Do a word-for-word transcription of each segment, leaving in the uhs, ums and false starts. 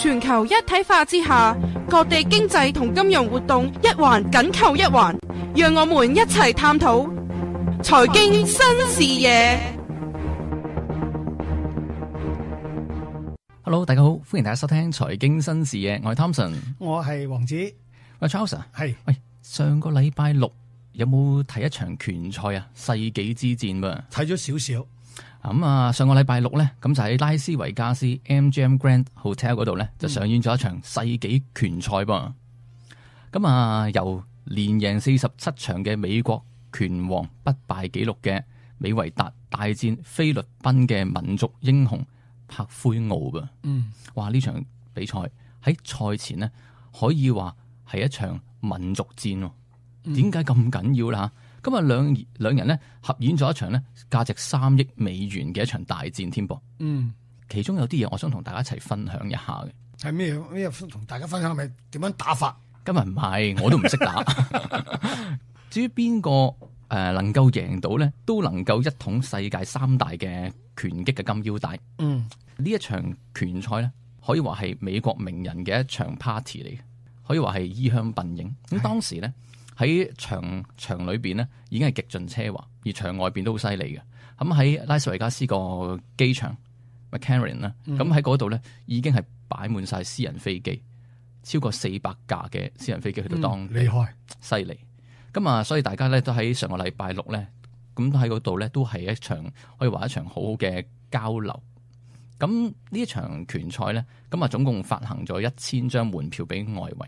全球一體化之下，各地經濟同金融活動一環緊扣一環，讓我們一齊探討財經新視野。Hello， 大家好，歡迎大家收聽財經新視野，我係 Thompson， 我係王子，喂 Charles， 係喂，上個禮拜六有冇睇一場拳賽啊？世紀之戰噃，睇咗少少。咁啊，上個禮拜六咧，咁就喺拉斯維加斯 M G M Grand Hotel 嗰度咧，就上演咗一場世紀拳賽噃。咁啊，由連贏四十七場嘅美國拳王不敗紀錄嘅美維達大戰菲律賓嘅民族英雄柏奎奧噃。嗯，哇！呢場比賽喺賽前呢，可以話係一場民族戰喎。點解咁緊要啦？今日兩兩人咧合演咗一場咧價值三億美元嘅一場大戰添噃。嗯，其中有啲嘢我想同大家一齊分享一下嘅。係咩咩？同大家分享係咪點樣打法？今日唔係，我都唔識打。至於邊個誒能夠贏到咧，都能夠一統世界三大嘅拳擊嘅金腰帶。嗯，呢一場拳賽咧，可以話係美國名人嘅一場 party 嚟嘅，可以話係衣香鬢影。咁當時咧。喺場場裏邊咧，已經係極盡奢華，而場外邊都好犀利嘅。咁喺拉斯維加斯個機場 McCarran 啦，咁喺嗰度咧已經係擺滿晒私人飛機，超過四百架嘅私人飛機去到當地，厲害，犀利。咁啊，所以大家咧都喺上個禮拜六咧，咁喺嗰度咧都係一場可以話一場好好嘅交流。咁呢一場拳賽咧，咁啊總共發行咗一千張門票俾外圍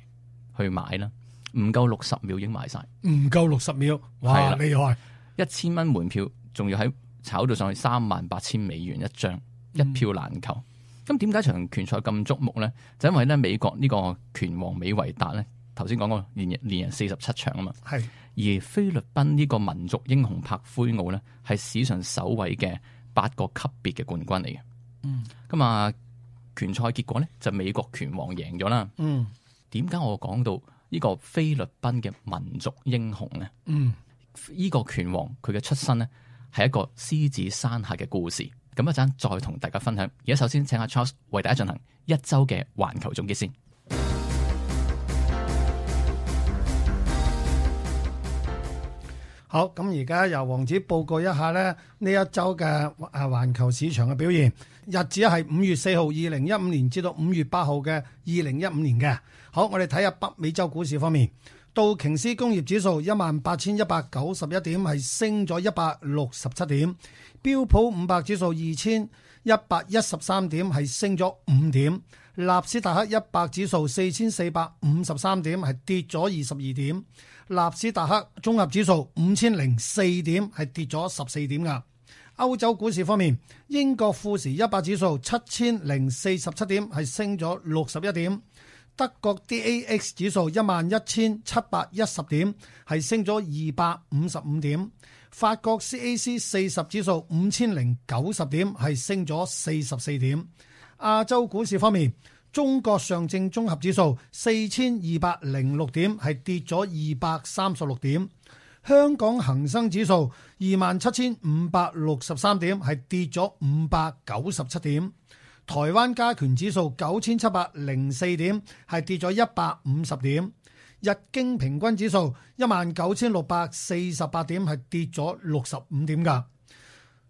去買啦。唔夠六十秒已經賣晒，唔夠六十秒，哇！厲害！一千蚊門票，仲要喺炒到上去三萬八千美元一張，一票難求。咁點解場拳賽咁矚目咧？就因為咧美國呢個拳王美維達咧，頭先講過連連贏四十七場啊嘛，係。而菲律賓呢個民族英雄柏奎奧咧，係史上首位嘅八個級別嘅冠軍嚟嘅。嗯。咁啊，拳賽結果咧就美國拳王贏咗啦。嗯。點解我講到呢個菲律賓嘅民族英雄咧？嗯，呢個拳王佢嘅出身咧係一個獅子山下嘅故事。咁一陣再同大家分享。而家首先請阿 Charles 為大家進行一周嘅環球總結先。好，咁而家由王子報告一下咧呢一周嘅啊環球市場嘅表現。日子係五月四號，二零一五年至到五月八號嘅二零一五年嘅。好，我哋睇下北美洲股市方面，道瓊斯工業指數一萬八千一百九十一點，係升咗一百六十七點；標普五百指數二千一百一十三點，係升咗五點；納斯達克一百指數四千四百五十三點，係跌咗二十二點；納斯達克綜合指數五千零四點，係跌咗十四點噶。歐洲股市方面，英國富時一百指數七千零四十七點，係升咗六十一點；德國 D A X 指數一萬一千七百一十點，係升咗二百五十五點；法國 C A C 四十指數五千零九十點，係升咗四十四點。亞洲股市方面，中國上證綜合指數四千二百零六點，係跌咗二百三十六點。香港恒生指數二萬七千五百六十三點，係跌咗五百九十七點。台灣加權指數九千七百零四點，係跌咗一百五十點。日經平均指數一萬九千六百四十八點，係跌咗六十五點噶。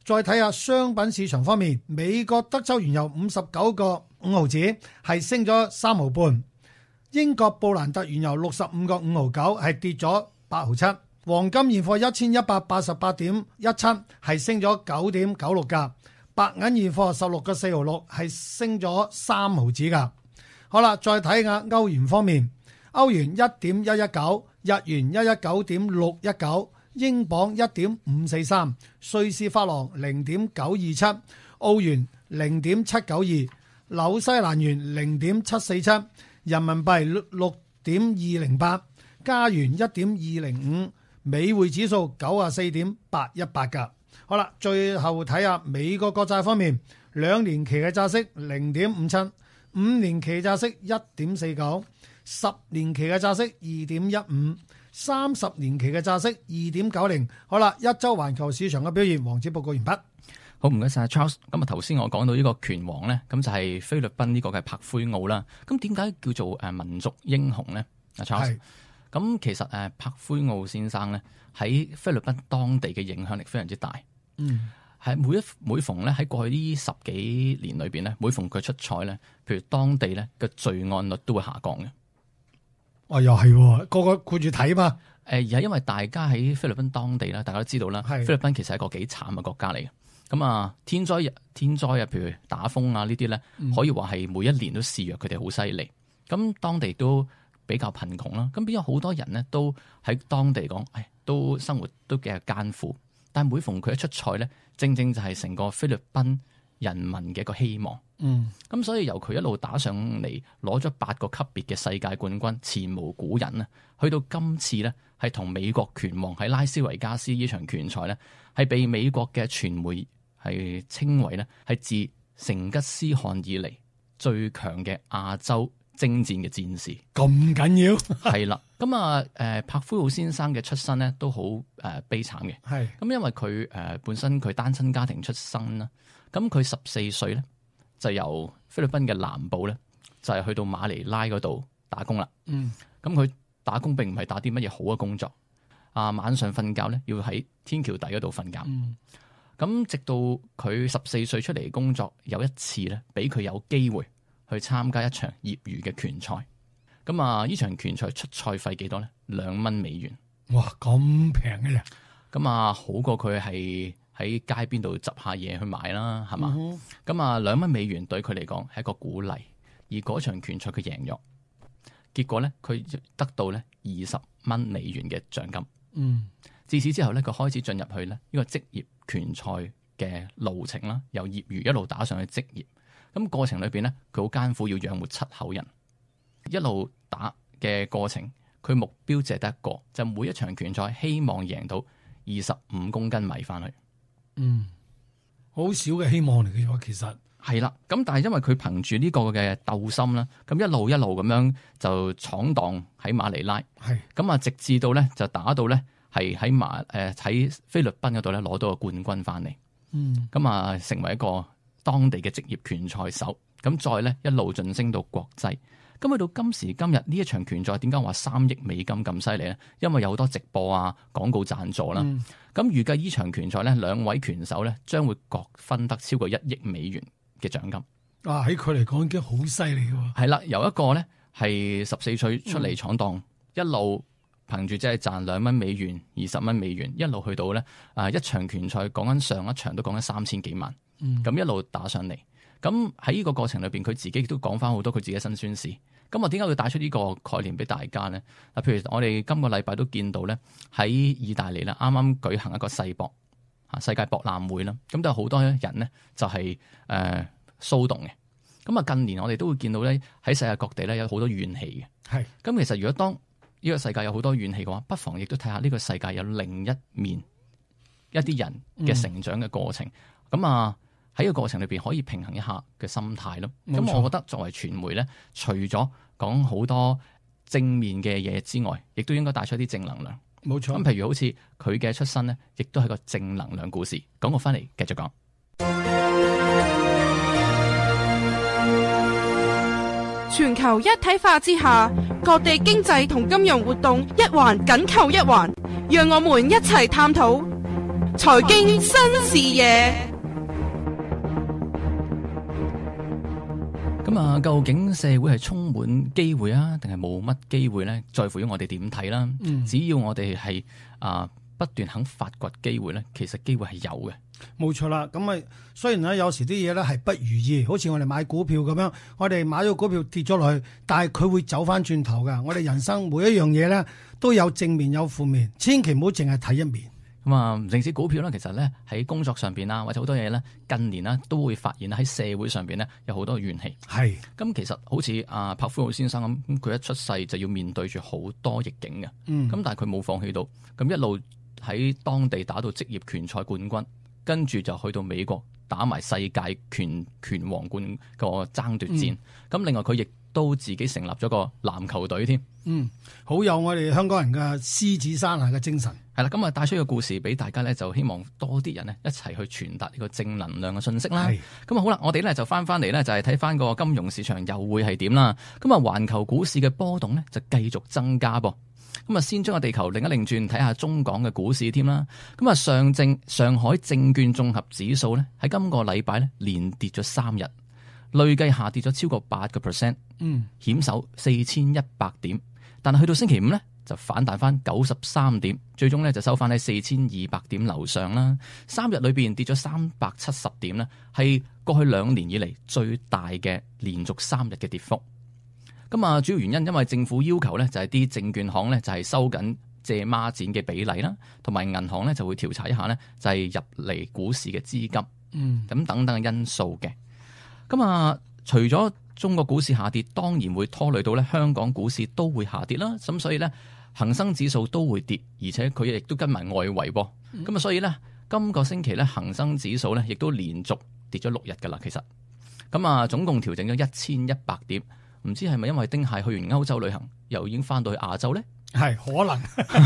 再睇下商品市場方面，美國德州原油五十九個五毫子，係升咗三毫半。英國布蘭特原油六十五個五毫九，係跌咗八毫七。黃金現貨一千一百八十八點一七，係升咗九點九六噶。白銀現貨十六個四毫六，係升咗三毫子噶。好啦，再睇下歐元方面，歐元一點一一九，日元一一九點六一九，英鎊一點五四三，瑞士法郎零點九二七，澳元零點七九二，紐西蘭元零點七四七，人民幣六點二零八，加元一點二零五。美匯指數九十四點八一八噶。好啦，最後睇下美國國債方面，兩年期嘅債息零點五七，五年期債息一點四九，十年期嘅債息二點一五，三十年期嘅債息二點九零。好啦，一周環球市場嘅表現，王子報告完畢。好，唔該晒 Charles。咁啊，頭先我講到呢個拳王咧，咁就係菲律賓呢個嘅柏奎奧啦。咁點解叫做誒民族英雄咧？啊 Charles，咁其實誒柏奎奧先生咧喺菲律賓當地嘅影響力非常之大。嗯，係每一每逢咧喺過去呢十幾年裏邊咧，每逢佢出賽咧，譬如當地咧嘅罪案率都會下降嘅。哦，又係個個顧住睇嘛。誒，而係因為大家喺菲律賓當地啦，大家都知道啦，菲律賓其實係一個幾慘嘅國家嚟嘅。咁啊，天災天災啊，譬如打風啊呢啲咧，可以話係每一年都肆虐，佢哋好犀利。咁當地都比較貧窮啦，咁變咗好多人咧都喺當地講，誒，都生活都幾係艱苦。但係每逢佢一出賽咧，正正就係成個菲律賓人民嘅一個希望。嗯，咁所以由佢一路打上嚟，攞咗八個級別嘅世界冠軍，前無古人啊！去到今次咧，係同美國拳王喺拉斯維加斯呢場拳賽咧，係被美國嘅傳媒係稱為咧係自成吉思汗以嚟最強嘅亞洲征戰嘅戰士。咁緊要係啦，咁啊誒柏奎奧先生嘅出身咧都好誒悲慘嘅。係咁，因為佢誒本身佢單親家庭出身啦，咁佢十四歲咧就由菲律賓嘅南部咧就係去到馬尼拉嗰度打工啦。嗯，咁佢打工並唔係打啲乜嘢好嘅工作，啊晚上瞓覺咧要喺天橋底嗰度瞓覺。嗯，咁直到佢十四歲出嚟工作，有一次咧俾佢有機會去參加一場業餘嘅拳賽。咁啊呢場拳賽出賽費幾多咧？兩蚊美元。哇，咁平嘅啫。咁啊好過佢係喺街邊度執下嘢去買啦，係嘛？咁啊兩蚊美元對佢嚟講係一個鼓勵，而嗰場拳賽佢贏咗，結果咧佢得到咧二十蚊美元嘅獎金。嗯，自此之後咧，佢開始進入去咧呢個職業拳賽嘅路程啦，由業餘一路打上去職業。咁過程裏邊咧，佢好艱苦，要養活七口人。一路打嘅過程，佢目標只係得一個，就每一場拳賽希望贏到二十五公斤米翻去。嗯，好少嘅希望嚟嘅喎，其實係啦。咁但係因為佢憑住呢個嘅鬥心啦，咁一路一路咁樣就闖蕩喺馬尼拉。係咁啊，直至到咧就打到咧係喺馬誒喺菲律賓嗰度咧攞到個冠軍翻嚟。嗯，咁啊成為一個當地嘅職業拳賽手。咁再咧一路晉升到國際。咁去到今時今日呢一場拳賽，點解話三億美金咁犀利咧？因為有好多直播啊、廣告贊助啦。咁預計呢場拳賽咧，兩位拳手咧將會各分得超過一億美元嘅獎金。啊，喺佢嚟講已經好犀利嘅喎。係啦，由一個咧係十四歲出嚟闖蕩，嗯、一路憑住即係賺兩蚊美元、二十蚊美元，一路去到咧啊一場拳賽講緊上一場都講緊三千幾萬。咁、嗯、一路打上嚟。咁喺呢個過程裏邊，佢自己都講翻好多佢自己辛酸事。咁啊，點解會帶出呢個概念俾大家咧？嗱，譬如我哋今個禮拜都見到咧，喺意大利啦，啱啱舉行一個世博啊世界博覽會啦，咁都有好多人咧就係誒騷動嘅。咁啊，近年我哋都會見到咧，喺世界各地咧有好多怨氣嘅。係。咁其實如果當呢個世界有好多怨氣嘅話，不妨亦都睇下呢個世界有另一面一啲人嘅成長嘅過程。咁、嗯、啊。喺個過程裏邊可以平衡一下嘅心態咯。咁我覺得作為傳媒咧，除咗講好多正面嘅嘢之外，亦都應該帶出一啲正能量。冇錯。咁譬如好似佢嘅出身咧，亦都係個正能量故事。講過翻嚟繼續講。全球一體化之下，各地經濟同金融活動一環緊扣一環，讓我們一齊探討財經新視野。咁啊，究竟社會係充滿機會啊，定係冇乜機會咧？在乎於我哋點睇啦。嗯、只要我哋係啊不斷肯發掘機會咧，其實機會係有嘅。冇錯啦。咁啊，雖然咧有時啲嘢咧係不如意，好似我哋買股票咁樣，我哋買咗股票跌咗落去，但係佢會走翻轉頭噶。我哋人生每一樣嘢咧都有正面有負面，千祈唔好淨係睇一面。咁啊，唔淨止股票啦，其實咧喺工作上邊啦，或者好多嘢咧，近年啦都會發現喺社會上邊咧有好多怨氣。係咁，其實好似阿柏奎奧先生咁，佢一出世就要面對住好多逆境嘅。嗯，咁但係佢冇放棄到，咁一路喺當地打到職業拳賽冠軍，跟住就去到美國打埋世界拳拳王冠個爭奪戰。咁、嗯、另外佢亦都自己成立咗個籃球隊添。嗯，好有我哋香港人嘅獅子山下嘅精神。係啦，咁啊帶出個故事俾大家咧，就希望多啲人咧一齊去傳達呢個正能量嘅信息啦。咁啊好啦，我哋咧就翻翻嚟咧，就係睇翻個金融市場又會係點啦。咁啊，環球股市嘅波動咧就繼續增加噃。咁啊，先將個地球另一擰轉，睇下中港嘅股市添啦。咁啊，上證上海證券綜合指數咧喺今個禮拜咧連跌咗三日，累計下跌咗超過八個 percent， 嗯，險守四千一百點。但係去到星期五咧就反彈翻九十三點，最終咧就收翻喺四千二百點樓上啦。三日裏邊跌咗三百七十點咧，係過去兩年以嚟最大嘅連續三日嘅跌幅。咁啊，主要原因因為政府要求咧，就係啲證券行咧就係收緊借孖展嘅比例啦，同埋銀行咧就會調查一下咧，就係入嚟股市嘅資金，嗯，咁等等嘅因素嘅。咁啊，除咗中國股市下跌，當然會拖累到咧香港股市都會下跌啦。咁所以咧，恒生指數都會跌，而且佢亦都跟埋外圍噃。咁啊，所以咧今個星期咧恒生指數咧亦都連續跌咗六日噶啦。其實咁啊，總共調整咗一千一百點。唔知係咪因為丁蟹去完歐洲旅行，又已經翻到去亞洲咧？係可能。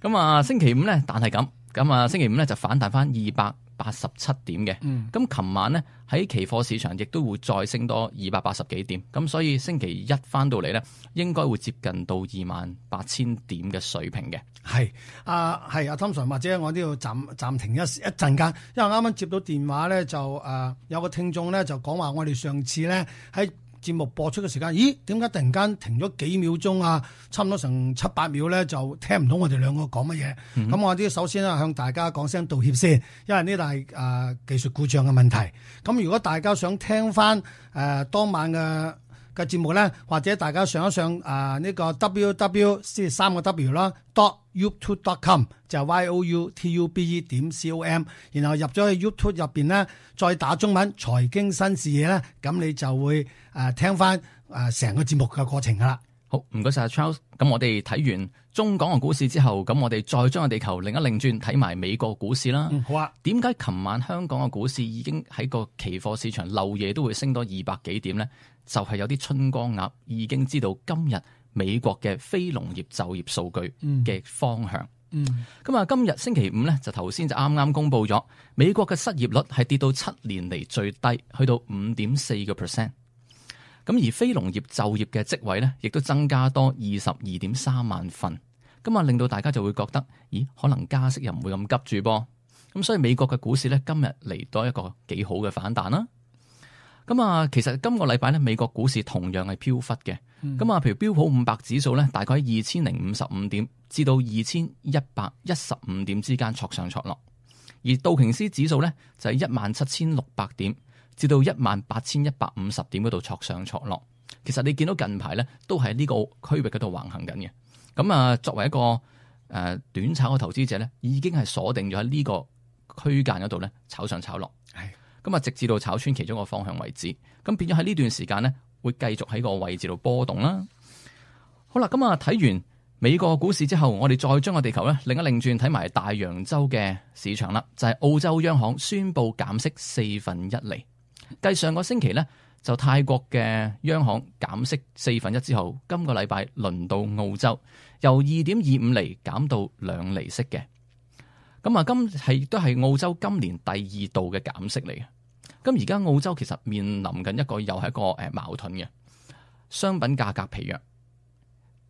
咁啊，星期五咧，但係咁，咁啊，星期五咧就反彈翻二百八十七點嘅。咁、嗯，琴晚咧喺期貨市場亦都會再升多二百八十幾點。咁所以星期一翻到嚟咧，應該會接近到二萬八千點嘅水平嘅。係啊，係阿 Tom Sir，或者我都要暫暫停一一陣間，因為啱啱接到電話咧，就誒、呃、有個聽眾咧就講話，我哋上次咧喺節目播出嘅時間，咦？點解突然間停咗幾秒鐘啊？差唔多成七八秒咧，就聽唔到我哋兩個講乜嘢。咁、嗯、我啲首先咧向大家講聲道歉先，因為呢度係誒技術故障嘅問題。咁如果大家想聽翻誒、呃、當晚嘅嘅節目咧，或者大家上一上誒呢、呃這個 w w 即係三個 w 啦 dot youtube dot com 就係 y o u t u b e 點 c o m， 然後入咗去 YouTube 入邊咧，再打中文財經新視野咧，咁你就會誒、呃、聽翻誒成個節目嘅過程噶啦。好，唔該晒 Charles。咁我哋睇完中港嘅股市之後，咁我哋再將個地球另一擰轉，睇埋美國股市啦。嗯，好啊。點解琴晚香港嘅股市已經喺個期貨市場漏夜都會升多二百幾點咧？就係、是、有啲春光鴨已經知道今日美國嘅非農業就業數據嘅方向。嗯，咁啊，今日星期五咧就頭先就啱啱公布咗美國嘅失業率係跌到七年嚟最低，去到五點四個 percent。咁而非農業就業嘅職位咧，亦都增加多二十二點三萬份。咁啊，令到大家就會覺得，咦，可能加息又唔會咁急住噃。咁所以美國嘅股市咧今日嚟多一個幾好嘅反彈啦。咁啊，其實今個禮拜咧，美國股市同樣係飄忽嘅。咁、嗯、啊，譬如標普五百指數咧，大概喺二千零五十五點至到二千一百一十五點之間挫上挫落，而道瓊斯指數咧就係一萬七千六百點至到一萬八千一百五十點嗰度挫上挫落。其實你見到近排咧都係呢個區域嗰度橫行緊嘅。咁啊，作為一個誒短炒嘅投資者咧，已經係鎖定咗喺呢個區間嗰度咧炒上炒落。係。咁啊，直至到炒穿其中一個方向為止，咁變咗喺呢段時間咧，會繼續喺個位置度波動啦。好啦，咁啊睇完美國股市之後，我哋再將個地球咧另一擰轉睇埋大洋洲嘅市場啦，就係、是、澳洲央行宣布減息四分一厘。繼上個星期咧，就泰國嘅央行減息四分一之後，今個禮拜輪到澳洲由二點二五厘減到兩厘息嘅。咁啊，今係都係澳洲今年第二度嘅減息嚟嘅。咁而家澳洲其實面臨緊一個又係一個誒矛盾嘅，商品價格疲弱，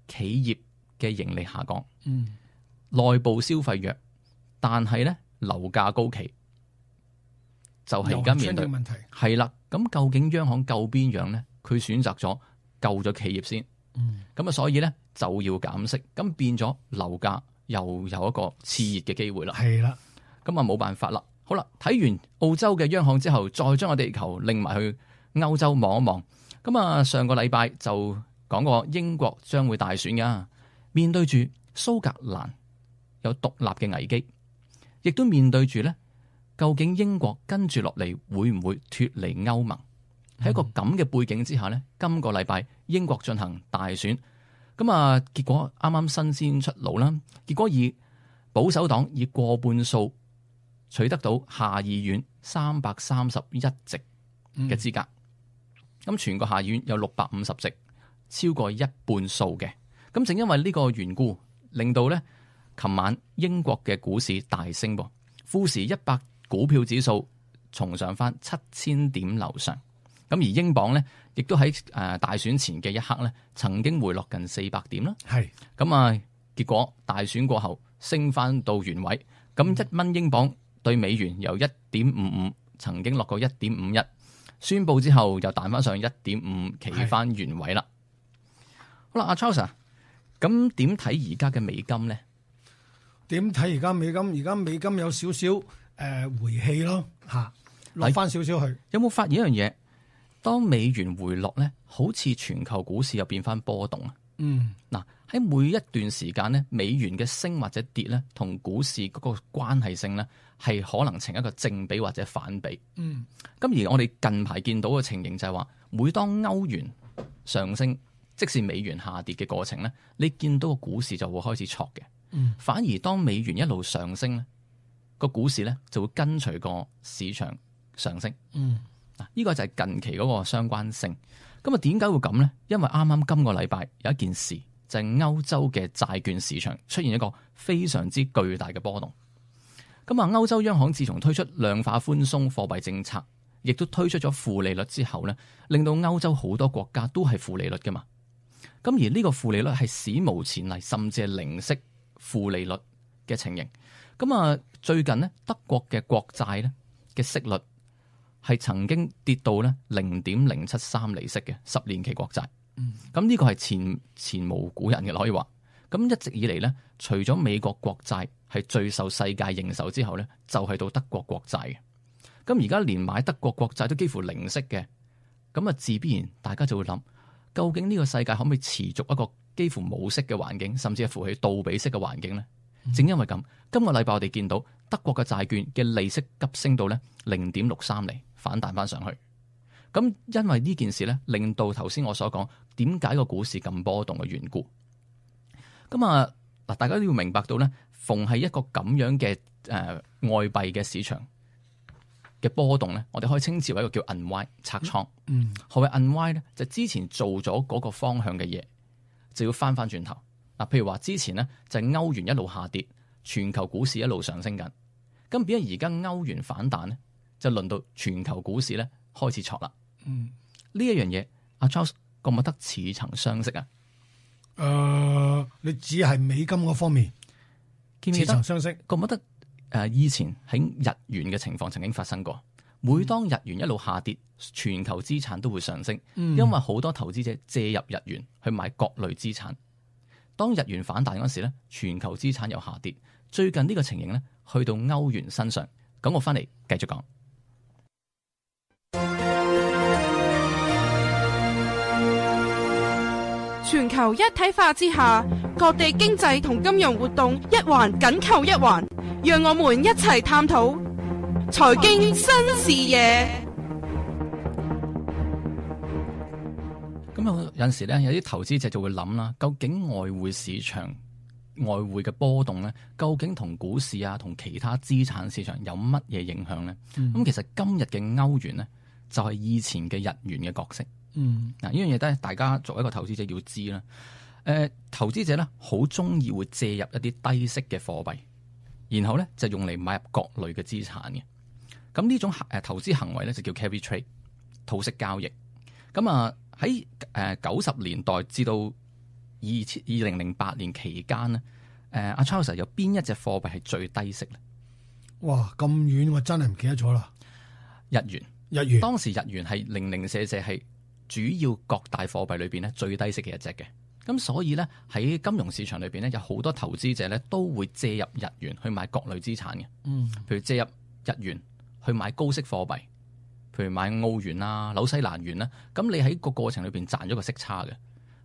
企業嘅盈利下降，嗯，內部消費弱，但係咧樓價高企，就係而家面對問題係啦。咁究竟央行救邊樣咧？佢選擇咗救咗企業先，嗯，咁啊，所以咧就要減息，咁變咗樓價又有一個熾熱嘅機會啦。係啦，咁啊冇辦法啦。好啦，睇完澳洲嘅央行之後，再將個地球拎埋去歐洲望一望。咁啊，上個禮拜就講過英國將會大選噶，面對住蘇格蘭有獨立嘅危機，亦都面對住咧，究竟英國跟住落嚟會唔會脫離歐盟？喺、嗯、一個咁嘅背景之下咧，今個禮拜英國進行大選，咁啊，結果啱啱新鮮出爐啦，結果以保守黨以過半數取得到下議院三百三十一席嘅資格，咁、嗯、全個下議院有六百五十席，超過一半數嘅。咁正因為呢個緣故，令到咧琴晚英國嘅股市大升噃，富時一百股票指數重上翻七千點樓上。咁而英鎊咧，亦都喺誒大選前嘅一刻咧，曾經回落近四百點啦。係咁啊，結果大選過後升翻到原位。咁一蚊英鎊對美元由一點五五曾經落過一點五一，宣布之後又彈翻上一點五，企翻原位啦。好啦，阿 Charles，咁點睇而家嘅美金咧？點睇而家美金？而家美金有少少誒回氣咯，嚇落翻少少去。有冇發現一樣嘢？當美元回落咧，好似全球股市又變翻波動啊！嗯，嗱喺每一段時間咧，美元嘅升或者跌咧，同股市嗰個關係性咧，係可能呈一個正比或者反比。嗯，咁而我哋近排見到嘅情形就係話，每當歐元上升，即使美元下跌嘅過程咧，你見到個股市就會開始挫嘅。嗯，反而當美元一路上升咧，個股市咧就會跟隨個市場上升。嗯。嗱，呢個就係近期嗰個相關性。咁啊，點解會咁呢？因為啱啱今個禮拜有一件事，就係歐洲嘅債券市場出現一個非常之巨大嘅波動。咁啊，歐洲央行自從推出量化寬鬆貨幣政策，亦都推出咗負利率之後咧，令到歐洲好多國家都係負利率㗎嘛。咁而呢個負利率係史無前例，甚至係零息負利率嘅情形。咁啊，最近呢，德國嘅國債咧嘅息率係曾經跌到咧零點零七三厘息嘅十年期國債，咁呢個係前前無古人嘅可以話。咁一直以嚟咧，除咗美國國債係最受世界認受之後咧，就係到德國國債嘅。咁而家連買德國國債都幾乎零息嘅，咁啊自必然大家就會諗，究竟呢個世界可唔可以持續一個幾乎冇息嘅環境，甚至係扶起倒比息嘅環境咧？正因為咁，今個禮拜我哋見到德國嘅債券嘅利息急升到咧零點六三厘，反彈翻上去。咁因為呢件事咧，令到頭先我所講點解個股市咁波動嘅緣故。咁啊嗱，大家都要明白到咧，逢係一個咁樣嘅誒、呃、外幣嘅市場嘅波動咧，我哋可以稱之為一個叫 unwind 拆倉。嗯，何謂 unwind 咧？就之前做咗嗰個方向嘅嘢，就要翻翻轉頭。嗱，譬如話之前咧就係歐元一路下跌，全球股市一路上升緊。咁變咗而家歐元反彈咧，就輪到全球股市咧開始挫啦。嗯，呢一樣嘢，阿 Charles 覺唔覺得似曾相識啊？誒、呃，你只係美金嗰方面似記唔記得？曾相識。覺唔覺得誒以前喺日元嘅情況曾經發生過？每當日元一路下跌，全球資產都會上升，嗯、因為好多投資者借入日元去買各類資產。當日元反彈嗰時咧，全球資產又下跌。最近呢個情形咧，去到歐元身上。咁我翻嚟繼續講。全球一體化之下，各地經濟同金融活動一環緊扣一環，讓我們一齊探討財經新視野。咁有陣時咧，有啲投資者就會諗啦，究竟外匯市場外匯嘅波動咧，究竟同股市啊，同其他資產市場有乜嘢影響咧？咁、嗯、其實今日嘅歐元咧，就係以前嘅日元嘅角色。嗯，嗱，呢樣嘢都係大家作為一個投資者要知啦。誒、呃，投資者咧好中意會借入一啲低息嘅貨幣，然後咧就用嚟買入各類嘅資產嘅。咁呢種誒投資行為咧就叫 carry trade 套息交易。咁啊喺誒九十年代至到二千二零零八年期間咧，誒阿 Charles 有邊一隻貨幣係最低息咧？哇，咁遠我真係唔記得咗啦。日元，日元當時日元係零零舍舍係主要各大貨幣裏邊咧最低息嘅一隻嘅。咁所以咧喺金融市場裏邊咧有好多投資者咧都會借入日元去買各類資產嘅。嗯，譬如借入日元去買高息貨幣，譬如買澳元啊、紐西蘭元啦。咁你喺個過程裏邊賺咗個息差嘅。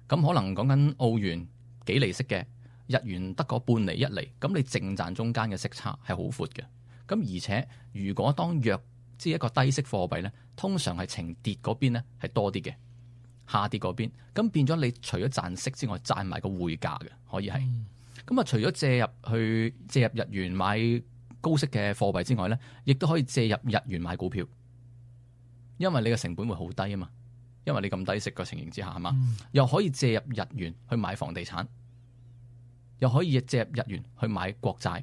咁可能講緊澳元幾厘息嘅，日元得個半厘一厘，咁你淨賺中間嘅息差係好闊嘅。咁而且如果當弱即係一個低息貨幣咧，通常係呈跌嗰邊咧係多啲嘅，下跌嗰邊，咁變咗你除咗賺息之外，賺埋個匯價嘅，可以係。咁啊、嗯，除咗借入去借入日元買高息嘅貨幣之外咧，亦都可以借入日元買股票，因為你嘅成本會好低啊嘛。因為你咁低息嘅情形之下係嘛，嗯、又可以借入日元去買房地產，又可以借入日元去買國債，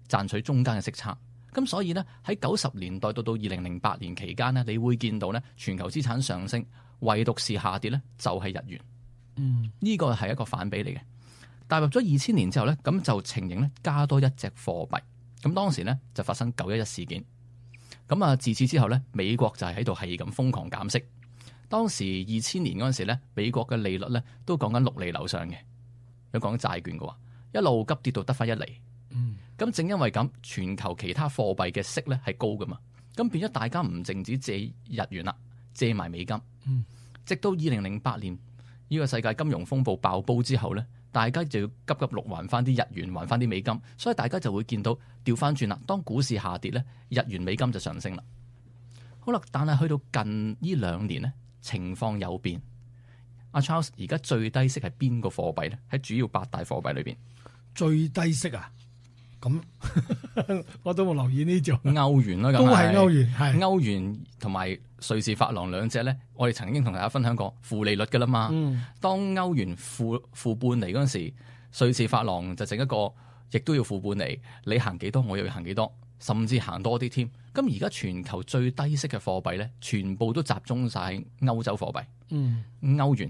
賺取中間嘅息差。咁所以咧喺九十年代到到二零零八年期間咧，你會見到咧全球資產上升，唯獨是下跌咧就係日元。嗯，呢個係一個反比嚟嘅。踏入咗二千年之後咧，咁就情形咧加多一隻貨幣。咁當時咧就發生九一一事件。咁啊自此之後咧，美國就係喺度係咁瘋狂減息。當時二千年嗰陣時咧，美國嘅利率咧都講緊六厘樓上嘅，有講債券嘅話，一路急跌到得翻一厘。嗯，咁正因為咁，全球其他貨幣嘅息咧係高噶嘛，咁變咗大家唔淨止借日元啦，借埋美金。嗯，直到二零零八年呢個世界金融風暴爆煲之後咧，大家就要急急碌還翻啲日元，還翻啲美金，所以大家就會見到調翻轉啦。當股市下跌咧，日元美金就上升啦。好啦，但係去到近呢兩年咧，情況有變。阿 Charles 而家最低息係邊個貨幣咧？喺主要八大貨幣裏邊，最低息啊！咁我都冇留意呢種歐元啦，都係歐元，係歐元同埋瑞士法郎兩隻咧，我哋曾經同大家分享過負利率噶啦嘛。嗯，當歐元負負半厘嗰陣時，瑞士法郎就整一個，亦都要負半厘。你行幾多，我又要行幾多，甚至行多啲添。咁而家全球最低息嘅貨幣咧，全部都集中晒喺歐洲貨幣。嗯，歐元、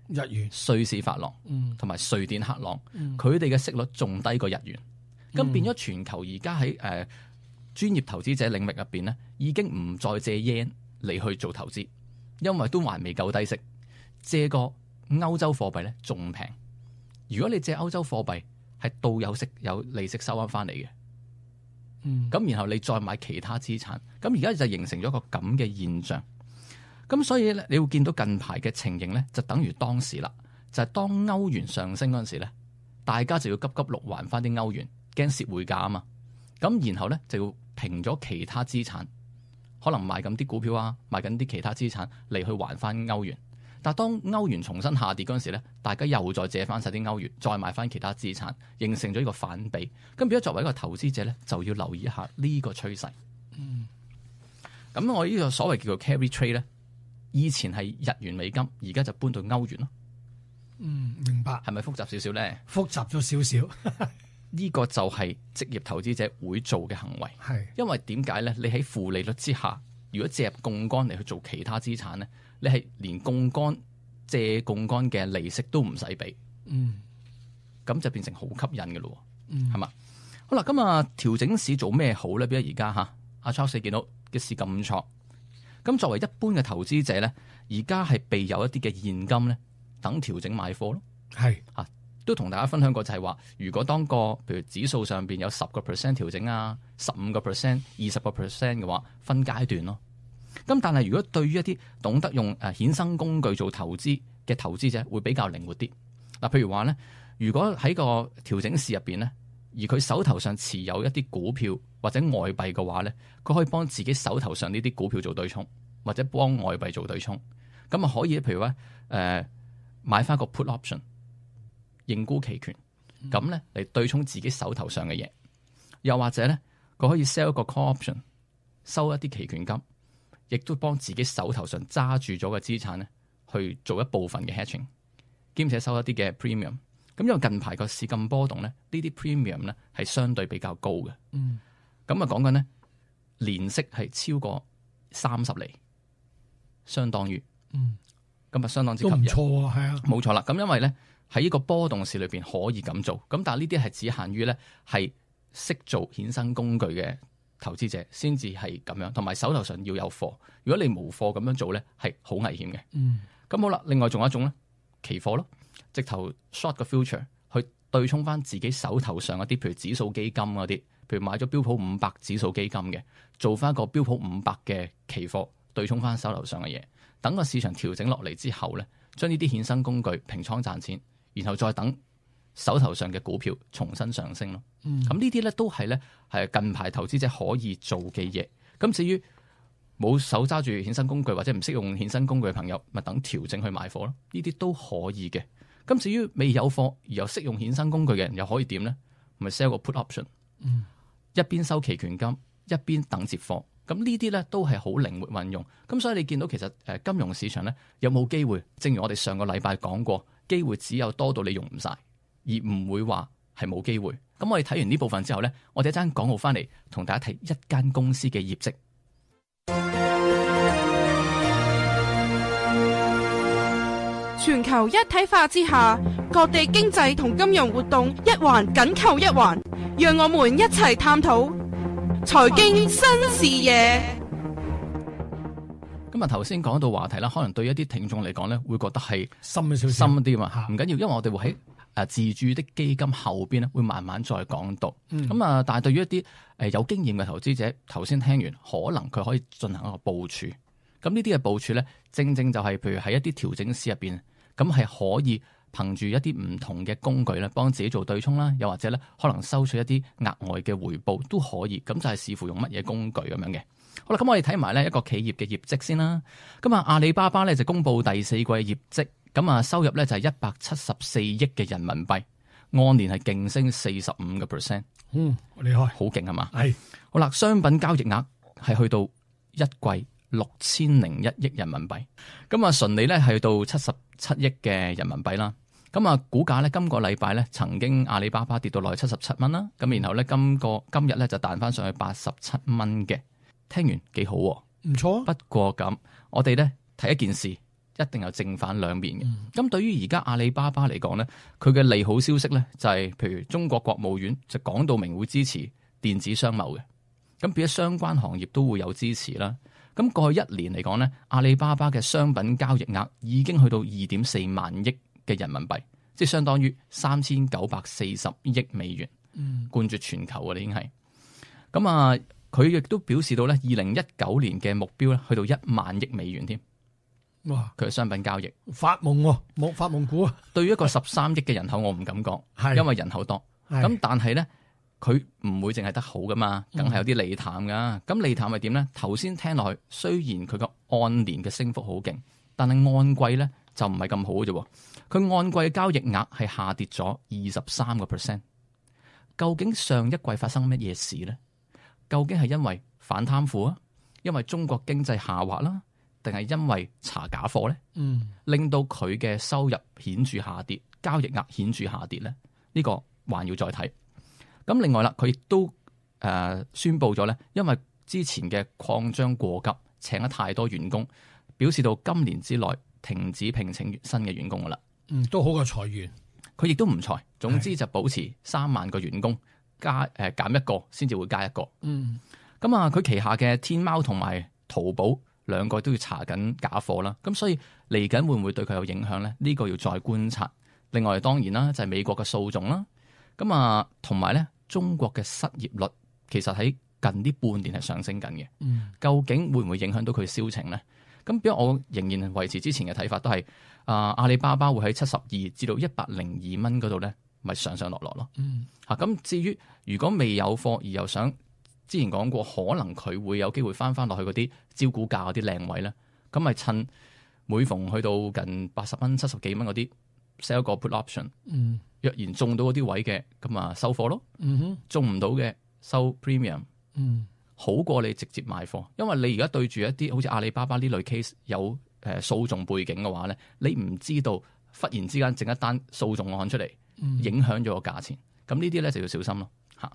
日元、瑞士法郎，嗯，同埋瑞典克朗，嗯，佢哋嘅息率仲低過日元。咁變咗全球而家喺誒專業投資者領域入邊咧，已經唔再借 yen 嚟去做投資，因為都還未夠低息。借個歐洲貨幣咧仲平。如果你借歐洲貨幣係到有息有利息收翻翻嚟嘅，嗯，咁然後你再買其他資產，咁而家就形成咗一個咁嘅現象。咁所以咧，你會見到近排嘅情形咧，就等於當時啦，就係、是、當歐元上升嗰陣時咧，大家就要急急碌還翻啲歐元。驚蝕匯價啊嘛，咁然後咧就要平咗其他資產，可能賣緊啲股票啊，賣緊啲其他資產嚟去還翻歐元。但係當歐元重新下跌嗰陣時咧，大家又再借翻晒啲歐元，再買翻其他資產，形成咗一個反比。咁變咗作為一個投資者咧，就要留意一下呢個趨勢。嗯，咁我呢個所謂叫做 carry trade 咧，以前係日元美金，而家就搬到歐元咯。嗯，明白。係咪複雜少少咧？複雜咗少少。呢個就係職業投資者會做嘅行為，係因為點解咧？你喺負利率之下，如果借入槓桿嚟去做其他資產咧，你係連槓桿借槓桿嘅利息都唔使俾，嗯，咁就變成好吸引嘅咯，嗯，係嘛？好啦，咁啊調整市做咩好咧？比如而家嚇阿 Charles 見到嘅市咁錯，咁作為一般嘅投資者咧，而家係備有一啲嘅現金咧，等調整買貨咯，係嚇。都同大家分享過就係話，如果當個譬如指數上邊有十個 percent 調整啊，十五個 percent、二十個 percent 嘅話，分階段咯。咁但係如果對於一啲懂得用誒衍生工具做投資嘅投資者，會比較靈活啲。嗱，譬如話咧，如果喺個調整市入邊咧，而佢手頭上持有一啲股票或者外幣嘅話咧，佢可以幫自己手頭上呢啲股票做對沖，或者幫外幣做對沖。咁啊可以，譬如話誒、呃、買翻個 put option。認沽期權，咁咧嚟對沖自己手頭上嘅嘢，又或者咧佢可以 sell 一個 call option，收一啲期權金，亦都幫自己手頭上揸住咗嘅資產咧去做一部分嘅 hedging， 兼且收一啲嘅 premium。咁因為近排個市咁波動咧，呢啲 premium 咧係相對比較高嘅。嗯，咁啊講緊咧年息係超過三十厘，相當於嗯，咁啊相當之吸都唔引。錯啊，係啊，冇錯啦。咁因為咧。喺呢個波動市裏邊可以咁做，咁但係呢啲係只限於咧係識做衍生工具嘅投資者先至係咁樣，同埋手頭上要有貨。如果你冇貨咁樣做咧，係好危險嘅。嗯，咁好啦，另外仲有一種咧，期貨咯，直頭 short 個 future 去對沖翻自己手頭上嗰啲，譬如指數基金嗰啲，譬如買咗標普五百指數基金嘅，做翻個標普五百嘅期貨對沖翻手頭上嘅嘢，等個市場調整落嚟之後咧，將呢啲衍生工具平倉賺錢。然後再等手頭上嘅股票重新上升咯。咁、嗯、呢啲咧都係咧係近排投資者可以做嘅嘢。咁至於冇手揸住衍生工具或者唔識用衍生工具嘅朋友，咪等調整去買貨咯。呢啲都可以嘅。咁至於未有貨而又識用衍生工具嘅人，又可以點咧？咪 sell 個 put option，、嗯、一邊收期權金，一邊等接貨。咁咁呢啲咧都係好靈活運用。咁所以你見到其實誒金融市場咧有冇機會？正如我哋上個禮拜講過，機會只有多到你用唔晒，而唔會話係冇機會。咁我哋睇完呢部分之後咧，我哋一陣廣告翻嚟同大家睇一間公司嘅業績。全球一體化之下，各地經濟同金融活動一環緊扣一環，讓我們一齊探討財經新視野。咁啊，頭先講到話題啦，可能對一啲聽眾嚟講咧，會覺得係深少少，深啲嘛，唔緊要，因為我哋會喺誒自住的基金後邊咧，會慢慢再講到。咁啊、嗯，但係對於一啲誒有經驗嘅投資者，頭先聽完，可能佢可以進行一個部署。咁呢啲嘅部署咧，正正就係譬如喺一啲調整市入邊，咁係可以憑住一啲唔同嘅工具咧，幫自己做對沖啦，又或者咧可能收取一啲額外嘅回報都可以。咁就係視乎用乜嘢工具咁樣嘅。好啦，咁我哋睇埋呢一個企業嘅業績先啦。咁啊，阿里巴巴咧就公布第四季業績，咁啊收入咧就係一百七十四億嘅人民幣，按年係勁升四十五個 percent。嗯，厲害，好勁係嘛？係。好啦，商品交易額係去到一季六千零一億人民幣，咁啊純利咧係到七十七億嘅人民幣啦。咁啊股價咧今個禮拜咧曾經阿里巴巴跌到落去七十七蚊啦，咁然後咧今個今日咧就彈翻上去八十七蚊嘅。聽完幾好，唔錯。不過咁，我哋咧睇一件事，一定有正反兩面嘅。咁、嗯、對於而家阿里巴巴嚟講咧，佢嘅利好消息咧就係、是，譬如中國國務院就講到明會支持電子商貿嘅，咁變咗相關行業都會有支持啦。咁過去一年嚟講咧，阿里巴巴嘅商品交易額已經去到二點四萬億嘅人民幣，即係相當於三千九百四十億美元，嗯、冠絕全球嘅，已經係咁啊。佢亦都表示到咧，二零一九年嘅目標咧，去到一萬億美元添。哇！佢嘅商品交易發夢喎，冇發夢股啊！對於一個十三億嘅人口，我唔敢講，係因為人口多。咁係但係咧，佢唔會淨係得好噶嘛，梗係有啲利淡噶。咁、嗯、利淡係點咧？頭先聽落去，雖然佢個按年嘅升幅好勁，但係按季咧就唔係咁好嘅啫。佢按季嘅交易額係下跌咗二十三個 percent。究竟上一季發生乜嘢事咧？究竟係因為反貪腐啊，因為中國經濟下滑啦，定係因為查假貨咧？嗯，令到佢嘅收入顯著下跌，交易額顯著下跌咧？呢、這個還要再睇。咁另外啦，佢亦都誒、呃、宣布咗咧，因為之前嘅擴張過急，請咗太多員工，表示到今年之內停止聘請新嘅員工噶啦。嗯，都好過裁員。佢亦都唔裁，總之就保持三萬個員工。加誒減一個先至會加一個，嗯，咁啊佢旗下嘅天貓同埋淘寶兩個都要查緊假貨啦，咁所以嚟緊會唔會對佢有影響咧？呢、呢個要再觀察。另外當然啦，就係美國嘅訴訟啦，咁啊同埋咧中國嘅失業率其實喺近呢半年係上升緊嘅，嗯，究竟會唔會影響到佢銷情咧？咁比如我仍然維持之前嘅睇法，都係啊阿里巴巴會喺七十二至到一百零二蚊嗰度咧。咪上上落落咯，嗯，嚇咁、啊、至於如果未有貨而又想之前講過，可能佢會有機會翻翻落去嗰啲招股價嗰啲靚位咧，咁咪趁每逢去到近八十蚊、七十幾蚊嗰啲 sell 個 put option，嗯，若然中到嗰啲位嘅，咁啊收貨咯，嗯哼，中唔到嘅收 premium，嗯，好過你直接買貨，因為你而家對住一啲好似阿里巴巴呢類 case 有誒訴訟背景嘅話咧，你唔知道忽然之間整一單訴訟案出嚟。影響咗個價錢，咁呢啲咧就要小心咯嚇。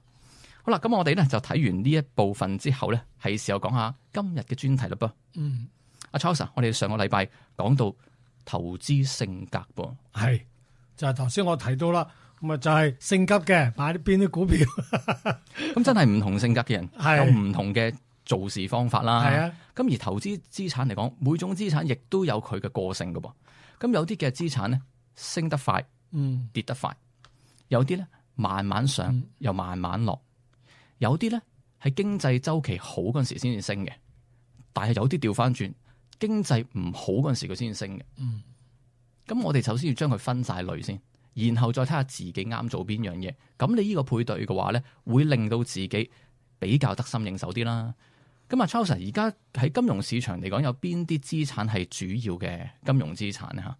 好啦，咁我哋咧就睇完呢一部分之後咧，係時候講下今日嘅專題嘞噃。嗯，阿 Charles，我哋上個禮拜講到投資性格噃，係就係頭先我提到啦，咁啊就係性急嘅買啲邊啲股票，咁真係唔同性格嘅人有唔同嘅做事方法啦。係啊，咁而投資資產嚟講，每種資產亦都有佢嘅個性㗎噃。咁有啲嘅資產咧升得快。嗯，跌得快，有啲咧慢慢上，嗯、又慢慢落，有啲咧係經濟周期好嗰陣時先至升嘅，但係有啲調翻轉，經濟唔好嗰陣時佢先至升嘅。嗯，咁我哋首先要將佢分晒類先，然後再睇下自己啱做邊樣嘢。咁你呢個配對嘅話咧，會令到自己比較得心應手啲啦。咁啊 Charles 而家喺金融市場嚟講，有邊啲資產係主要嘅金融資產咧？吓？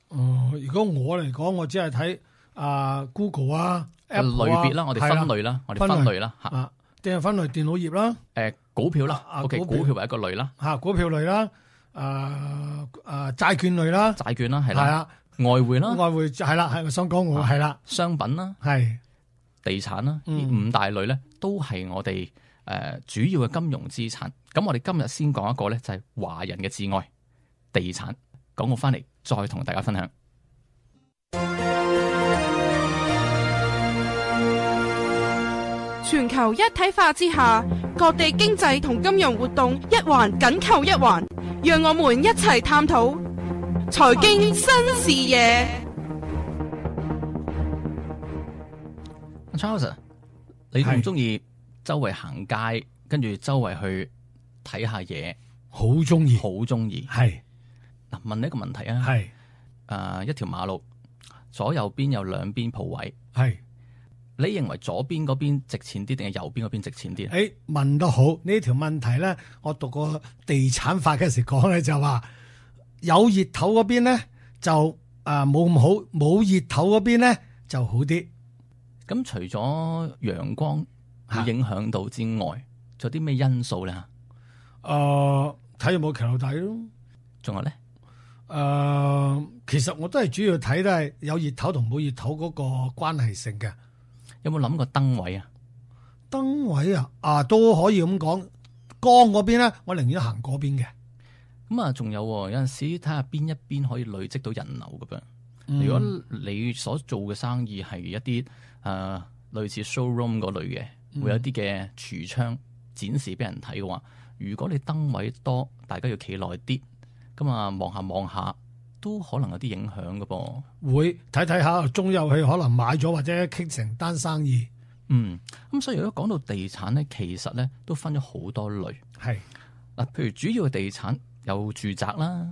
哦，如果我嚟講，我只係睇啊 Google 啊 Apple 類別啦，我哋分類啦，我哋分類啦嚇，啊，定係分類電腦業啦。誒股票啦啊，OK，股票股票為一個類啦，嚇股票類啦，誒誒債券類啦，債券啦，係啦，係啦，外匯啦，外匯係啦，係我想講我係啦，商品啦，係地產啦，呢嗯五大類咧都係我哋誒、呃、主要嘅金融資產。咁我哋今日先講一個咧，就係華人嘅摯愛地產。講我翻嚟再同大家分享。全球一體化之下，各地經濟同金融活動一環緊扣一環，讓我們一齊探討財經新視野。Charles，你中唔中意周圍行街，跟住周圍去睇下嘢？好中意，好中意。係嗱，問你一個問題啊。係誒、呃，一條馬路左右邊有兩邊鋪位，係。你認為左邊嗰邊值錢啲，定係右邊嗰邊值錢啲？誒，問得好，呢條問題咧，我讀過地產法嘅時講咧就話有熱頭嗰邊咧就誒冇咁好，冇熱頭嗰邊咧就好啲。咁除咗陽光會影響到之外，仲有啲咩因素咧？誒、呃，睇有冇騎樓底咯。仲有咧？誒、呃，其實我都係主要睇都係有熱頭同冇熱頭嗰個關係性嘅。有冇諗過燈位啊？燈位啊，啊都可以咁講。光嗰邊咧，我寧願行嗰邊嘅。咁啊，仲有有陣時睇下邊一邊可以累積到人流咁樣。嗯、如果你所做嘅生意係一啲誒、呃、類似 showroom 嗰類嘅，嗯、會有一啲嘅櫥窗展示俾人睇嘅話，如果你燈位多，大家要企耐啲，咁啊望下望下都可能有啲影響嘅噃。會睇睇下中有佢可能買咗或者傾成單生意。嗯，咁所以如果講到地產咧，其實咧都分咗好多類。係嗱，譬如主要嘅地產有住宅啦，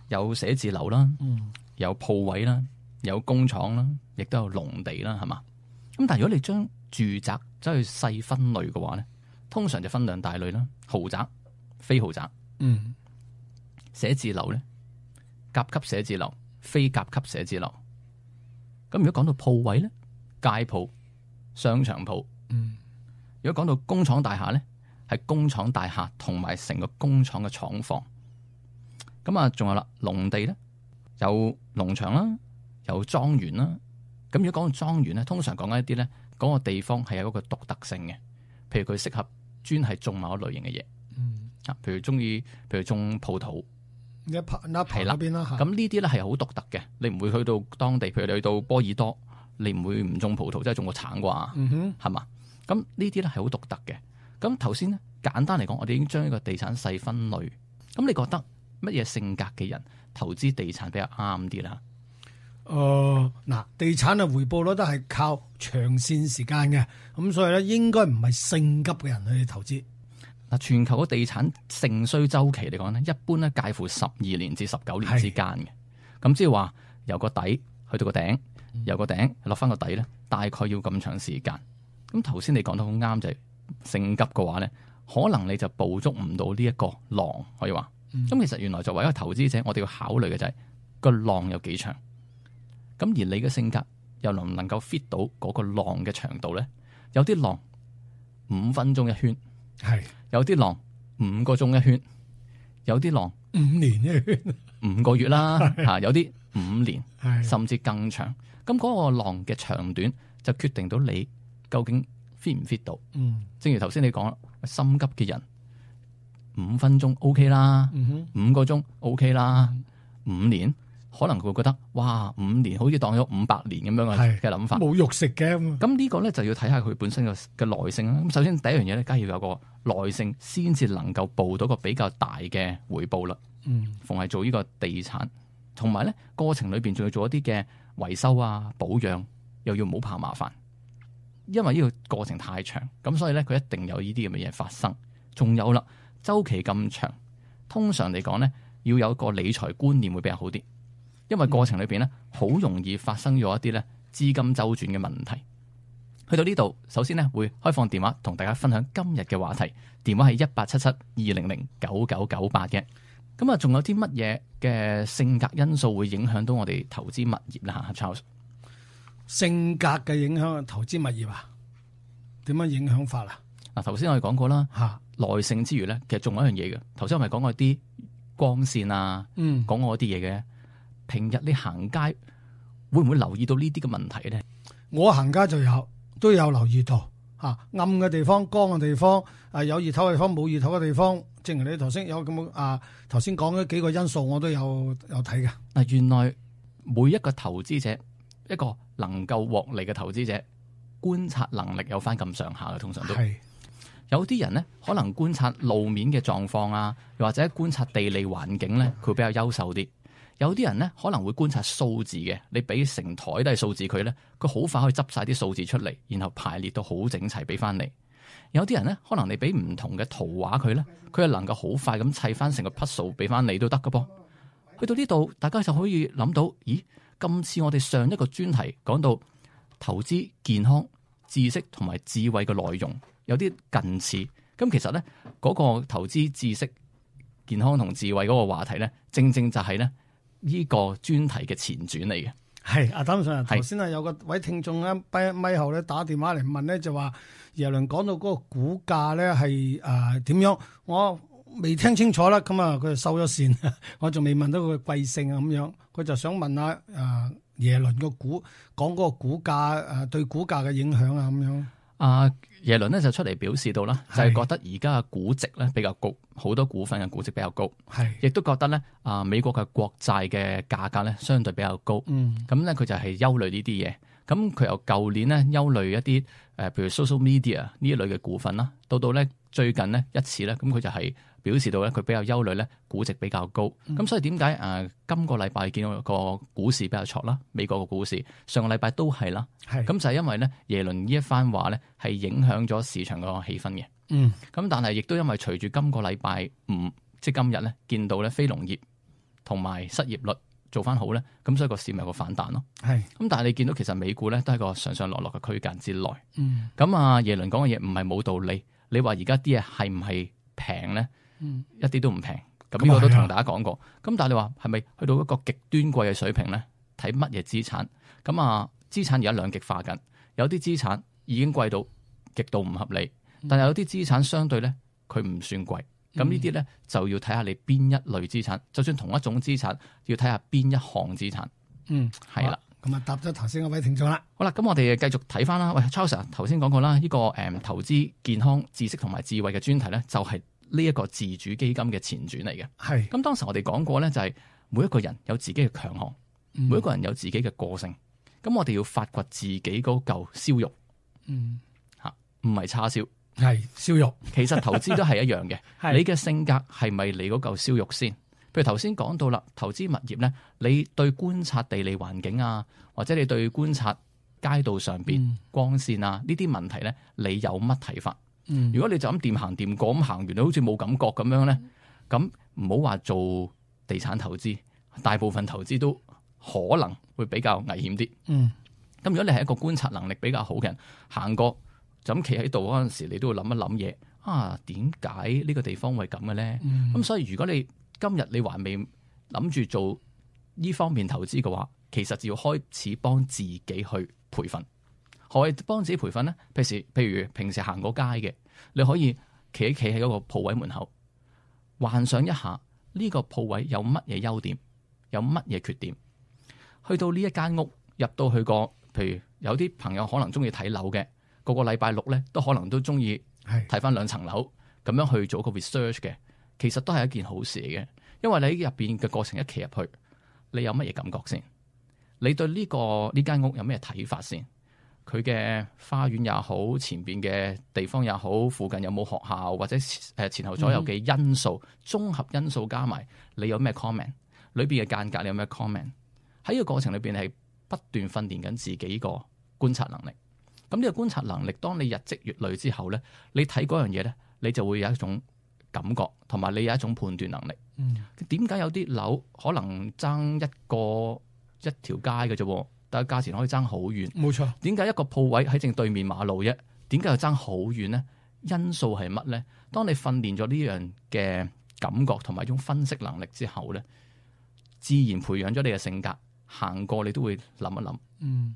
有寫字樓啦，嗯，有鋪位啦，有工廠啦，亦都有農地啦，係嘛？咁但係如果你將住宅走去細分類嘅話咧，通常就分兩大類啦，豪宅、非豪宅。嗯，寫字樓咧，甲級寫字樓、非甲級寫字樓。咁如果講到鋪位咧，街鋪、商場鋪。嗯，如果講到工廠大廈咧，係工廠大廈同埋成個工廠嘅廠房。咁啊，仲有啦，農地咧，有農場啦，有莊園啦。咁如果講到莊園咧，通常講緊一啲咧，嗰個地方係有一個獨特性嘅，譬如佢適合專係種某一類型嘅嘢。嗯，啊，譬如中意，譬如種葡萄。一拍一拍嗰邊啦嚇。咁呢啲咧係好獨特嘅，你唔會去到當地，譬如你去到波爾多，你唔會唔種葡萄，即係種個橙啩，嗯哼，係嘛？咁呢啲咧係好獨特嘅。咁頭先咧簡單嚟講，我哋已經將呢個地產細分類。咁你覺得乜嘢性格嘅人投資地產比較啱啲啦？誒、呃、嗱，地產嘅回報率都係靠長線時間嘅，咁所以咧應該唔係性急嘅人去投資。嗱，全球嘅地產盛衰周期嚟講咧，一般咧介乎十二年至十九年之間嘅。咁即係話由個底去到個頂，由個頂落翻個底咧，大概要咁長時間。咁頭先你講得好啱，就係、是、性急嘅話咧，可能你就捕捉唔到呢一個浪，可以話。咁、嗯、其實原來作為一個投資者，我哋要考慮嘅就係、是、個浪有幾長。咁而你嘅性格又能唔能夠 fit 到嗰個浪嘅長度咧？有啲浪五分鐘一圈，係。有啲浪五個鐘一圈，有啲浪五年一圈，五個月啦，吓有啲五年，甚至更長。咁嗰個浪嘅長短就決定到你究竟 fit 唔 fit 到。嗯，正如頭先你講啦，心急嘅人五分鐘 OK 啦，嗯、五個鐘 OK 啦，五年可能佢會覺得哇，五年好似當咗五百年咁樣嘅嘅諗法，冇肉食嘅。咁呢個咧就要睇下佢本身嘅嘅耐性啦。咁首先第一樣嘢咧，梗係要有個耐性，先至能夠報到個比較大嘅回報啦。嗯，逢係做呢個地產，同埋咧過程裏邊仲要做一啲嘅維修啊、保養，又要唔好怕麻煩，因為呢個過程太長，咁所以咧佢一定有呢啲咁嘅嘢發生。仲有啦，周期咁長，通常嚟講咧要有個理財觀念會比較好啲。因為過程裏邊咧，好容易發生咗一啲咧資金周轉嘅問題。去到呢度，首先咧會開放電話同大家分享今日嘅話題，電話係一八七七二零零九九九八嘅。咁啊，仲有啲乜嘢嘅性格因素會影響到我哋投資物業啦？吓 Charles，性格嘅影響投資物業啊？點樣影響法啊？嗱，頭先我哋講過啦，吓耐性之餘咧，其實仲有一樣嘢嘅。頭先我咪講過啲光線啊，嗯，講過啲嘢嘅。平日你行街會唔會留意到呢啲嘅問題咧？我行街就有都有留意到嚇、啊，暗嘅地方、光嘅地方，啊有熱頭嘅地方、冇熱頭嘅地方，正如你頭先有咁啊頭先講嘅幾個因素，我都有有睇嘅。嗱，原來每一個投資者，一個能夠獲利嘅投資者，觀察能力有翻咁上下嘅，通常都係有啲人咧，可能觀察路面嘅狀況啊，又或者觀察地理環境咧，佢比較優秀啲。有啲人咧可能會觀察數字嘅，你俾成台都係數字佢咧，佢好快可以執晒啲數字出嚟，然後排列到好整齊俾翻你。有啲人咧，可能你俾唔同嘅圖畫佢咧，佢係能夠好快咁砌翻成個 puzzle 俾翻你都得㗎噃。去到呢度，大家就可以諗到，咦？今次我哋上一個專題講到投資、健康、知識同埋智慧嘅內容有啲近似，咁其實咧嗰個投資、知識、健康同智慧嗰個話題咧，正正就係咧呢個專題嘅前傳嚟嘅。係阿譚 Sir，頭先啊有個位聽眾咧，咪咪後咧打電話嚟問咧，就話耶倫講到嗰個股價咧係誒點樣，我未聽清楚啦，咁啊佢就收咗線，我仲未問到佢嘅貴姓啊咁樣，佢就想問下誒、呃、耶倫個股講嗰個股價誒、呃、對股價嘅影響啊咁樣。啊耶倫咧就出嚟表示到啦，就係、是、覺得而家嘅估值咧比較高，好多股份嘅估值比較高，係亦都覺得咧啊美國嘅國債嘅價格咧相對比較高，嗯，咁咧佢就係憂慮呢啲嘢。咁佢由舊年咧憂慮一啲誒，譬如 social media 呢一類嘅股份啦，到到咧最近呢一次咧，咁佢就係表示到咧佢比較憂慮咧估值比較高。咁、嗯、所以點解誒今個禮拜見到個股市比較挫啦？美國個股市上個禮拜都係啦，係咁就係因為咧耶倫呢一番話咧係影響咗市場個氣氛嘅。嗯，咁但係亦都因為隨住今個禮拜五即係今日咧見到咧非農業同埋失業率做翻好咧，咁所以個市咪有個反彈咯。係，咁但係你見到其實美股咧都係個上上落落嘅區間之內。嗯，咁啊耶倫講嘅嘢唔係冇道理。你話而家啲嘢係唔係平咧？嗯，一啲都唔平。咁呢個都同大家講過。咁、嗯、但係你話係咪去到一個極端貴嘅水平咧？睇乜嘢資產？咁啊資產而家兩極化緊，有啲資產已經貴到極度唔合理，但係有啲資產相對咧佢唔算貴。咁呢啲咧就要睇下你邊一類資產，就算同一種資產，要睇下邊一項資產。嗯，係啦。咁啊，答咗頭先嗰位聽眾啦。好啦，咁我哋繼續睇翻啦。喂 ，Charles 頭先講過啦，呢、這個誒、嗯、投資、健康、知識同埋智慧嘅專題咧，就係呢一個自主基金嘅前傳嚟嘅。係。咁當時我哋講過咧，就係每一個人有自己嘅強項、嗯，每一個人有自己嘅個性。咁我哋要發掘自己嗰嚿燒肉。嗯。嚇，唔係叉燒。係燒肉，其實投資都係一樣嘅。你嘅性格係咪你嗰嚿燒肉先？譬如頭先講到啦，投資物業咧，你對觀察地理環境啊，或者你對觀察街道上邊、嗯、光線啊呢啲問題咧，你有乜睇法？嗯、如果你就咁掂行掂過咁行完，你好似冇感覺咁樣咧，咁唔好話做地產投資，大部分投資都可能會比較危險啲。咁、嗯、如果你係一個觀察能力比較好嘅人，行過。就咁企喺度嗰陣時，你都會諗一諗嘢啊？點解呢個地方會咁嘅咧？咁、嗯、所以如果你今日你還未諗住做呢方面投資嘅話，其實就要開始幫自己去培訓。何謂幫自己培訓咧？譬如譬如平時行過街嘅，你可以企一企喺嗰個鋪位門口，幻想一下呢個鋪位有乜嘢優點，有乜嘢缺點。去到呢一間屋入到去個，譬如有啲朋友可能中意睇樓嘅。個個禮拜六咧，都可能都中意睇翻兩層樓，咁樣去做個 research 嘅，其實都係一件好事嚟嘅。因為你喺入邊嘅過程一企入去，你有乜嘢感覺先？你對呢個呢間屋有咩睇法先？佢嘅花園也好，前邊嘅地方也好，附近有冇學校或者誒前後左右嘅因素，綜、嗯、合因素加埋，你有咩 comment？ 裏邊嘅間隔你有咩 comment？ 喺呢個過程裏邊係不斷訓練緊自己個觀察能力。咁呢個觀察能力，當你日積月累之後咧，你睇嗰樣嘢咧，你就會有一種感覺，同埋你有一種判斷能力。嗯，點解有啲樓可能爭一個一條街嘅啫，但係價錢可以爭好遠？冇錯。點解一個鋪位喺正對面馬路啫？點解又爭好遠咧？因素係乜咧？當你訓練咗呢樣嘅感覺同埋一種分析能力之後咧，自然培養咗你嘅性格，行過你都會諗一諗。嗯。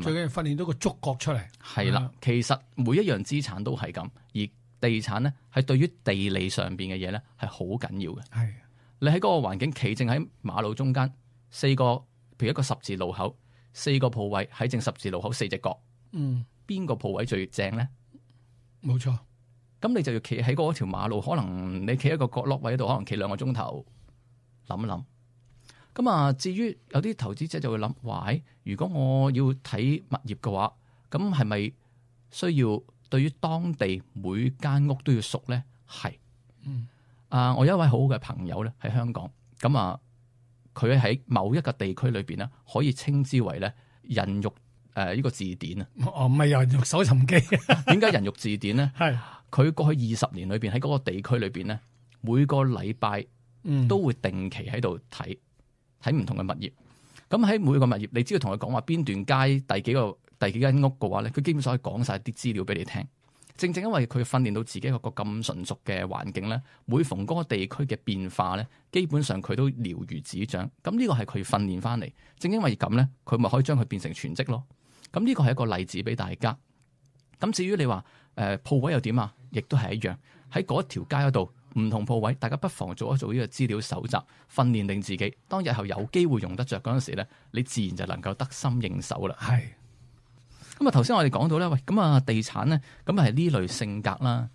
最緊要訓練到個觸覺出嚟，係啦。其實每一樣資產都係咁，而地產咧係對於地理上邊嘅嘢咧係好緊要嘅。係你喺嗰個環境企正喺馬路中間，四個譬如一個十字路口，四個鋪位喺正十字路口四隻角，嗯，邊個鋪位最正咧？冇錯。咁你就要企喺嗰條馬路，可能你企一個角落位度，可能企兩個鐘頭諗一諗。咁啊，至於有啲投資者就會諗，哇！如果我要睇物業嘅話，咁係咪需要對於當地每間屋都要熟咧？係。嗯。啊，我有一位好好嘅朋友咧喺香港，咁啊，佢喺某一個地區裏邊咧，可以稱之為咧人肉誒呢個字典啊。哦，唔係人肉搜尋機。點解人肉字典咧？係。佢過去二十年裏邊喺嗰個地區裏邊咧，每個禮拜都會定期喺度睇睇唔同嘅物業。咁喺每個物業，你只要同佢講話邊段街第幾個第幾間屋嘅話咧，佢基本上可以講晒啲資料俾你聽。正正因為佢訓練到自己一個咁純熟嘅環境咧，每逢嗰個地區嘅變化咧，基本上佢都了如指掌。咁呢個係佢訓練翻嚟。正因為咁咧，佢咪可以將佢變成全職咯。咁呢個係一個例子俾大家。咁至於你話誒鋪位又點啊？亦都係一樣，喺嗰條街嗰度唔同鋪位，大家不妨做一做呢個資料搜集，訓練定自己。當日後有機會用得着嗰陣時咧，你自然就能夠得心應手啦。係。咁啊，頭先我哋講到咧，喂，咁啊，地產咧，咁係呢類性格啦。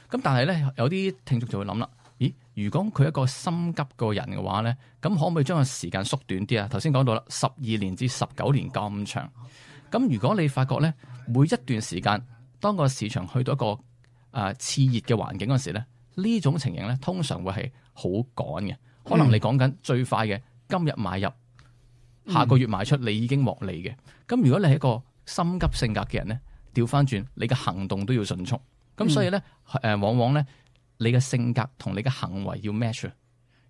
咁但係咧，有啲聽眾就會諗啦，咦？如果佢一個心急個人嘅話咧，咁可唔可以將個時間縮短啲啊？頭先講到啦，十二年至十九年咁長。咁如果你發覺咧，每一段時間，當個市場去到一個誒熾熱嘅環境嗰時咧，呢種情形咧，通常會係好趕嘅。可能你講緊最快嘅今日買入，下個月賣出，你已經獲利嘅。咁、嗯、如果你係一個心急性格嘅人咧，調翻轉，你嘅行動都要迅速。咁所以咧，誒、嗯、往往咧，你嘅性格同你嘅行為要 match。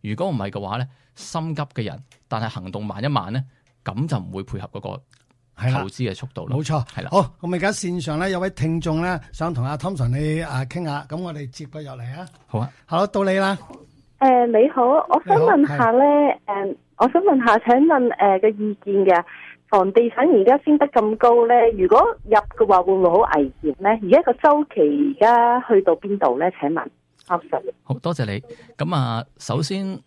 如果唔係嘅話咧，心急嘅人，但係行動慢一慢咧，咁就唔會配合嗰個投資嘅速度啦。冇錯，係啦。好，咁而家線上咧有位聽眾咧想同阿 Thompson 你啊傾下，咁我哋接佢入嚟啊。好啊，好，到你啦。誒、呃，你好，我想問下咧，誒、呃，我想問下，請問誒嘅意見嘅，房地產而家升得咁高咧，如果入嘅話會唔會好危險咧？而家個周期而家去到邊度咧？請問，好多謝你。咁啊，首先，誒、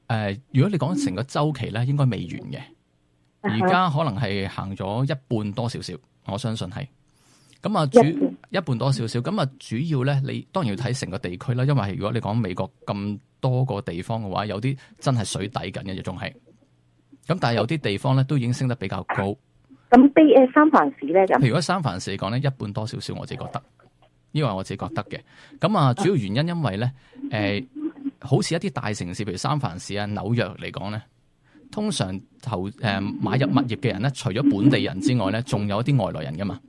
呃，如果你講成個周期咧，應該未完嘅。而家可能係行咗一半多少少，我相信係。咁啊，主一半多少少，咁啊，主要咧，你當然要睇成個地區啦。因為如果你講美國咁多個地方嘅話，有啲真係水底緊嘅，仲係。咁但係有啲地方咧都已經升得比較高。咁比誒三藩市咧咁？如果三藩市嚟講咧，一半多少少，我自己覺得，呢個係我自己覺得嘅。咁啊，主要原因因為咧，誒、呃，好似一啲大城市，譬如三藩市啊、紐約嚟講咧。通常投誒、呃、買入物業嘅人咧，除咗本地人之外咧，仲有一啲外來人噶嘛。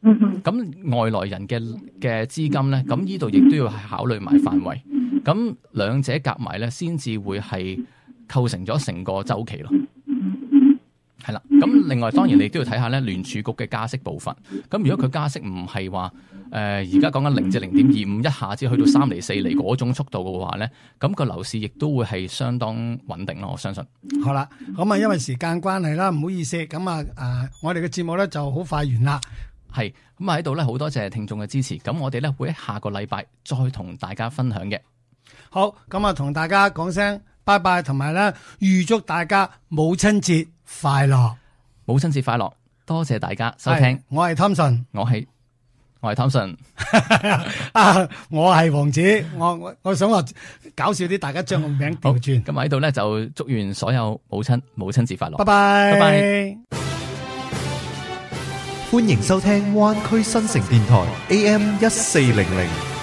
咁外來人嘅嘅資金咧，咁呢度亦都要考慮埋範圍。咁兩者夾埋咧，先至會係構成咗成個週期咯。係啦。咁另外當然你都要睇下咧聯儲局嘅加息部分。咁如果佢加息唔係話誒而家講緊零至零點二五，一下子去到三厘四厘嗰種速度嘅話咧，咁個樓市亦都會係相當穩定咯。我相信。好啦，咁啊，因為時間關係啦，唔好意思，咁啊誒，我哋嘅節目咧就好快完啦。係咁啊，喺度咧好多謝聽眾嘅支持。咁我哋咧會喺下個禮拜再同大家分享嘅。好，咁啊，同大家講聲拜拜，同埋咧預祝大家母親節快樂。母親節快樂，多謝大家收聽。我係 Thompson，我係我係 Thompson，啊，我係王子。我我我想話搞笑啲，大家將個名調轉。咁喺度咧就祝願所有母親母親節快樂。拜拜，拜拜。歡迎收聽灣區新城電台 A M 一四零零。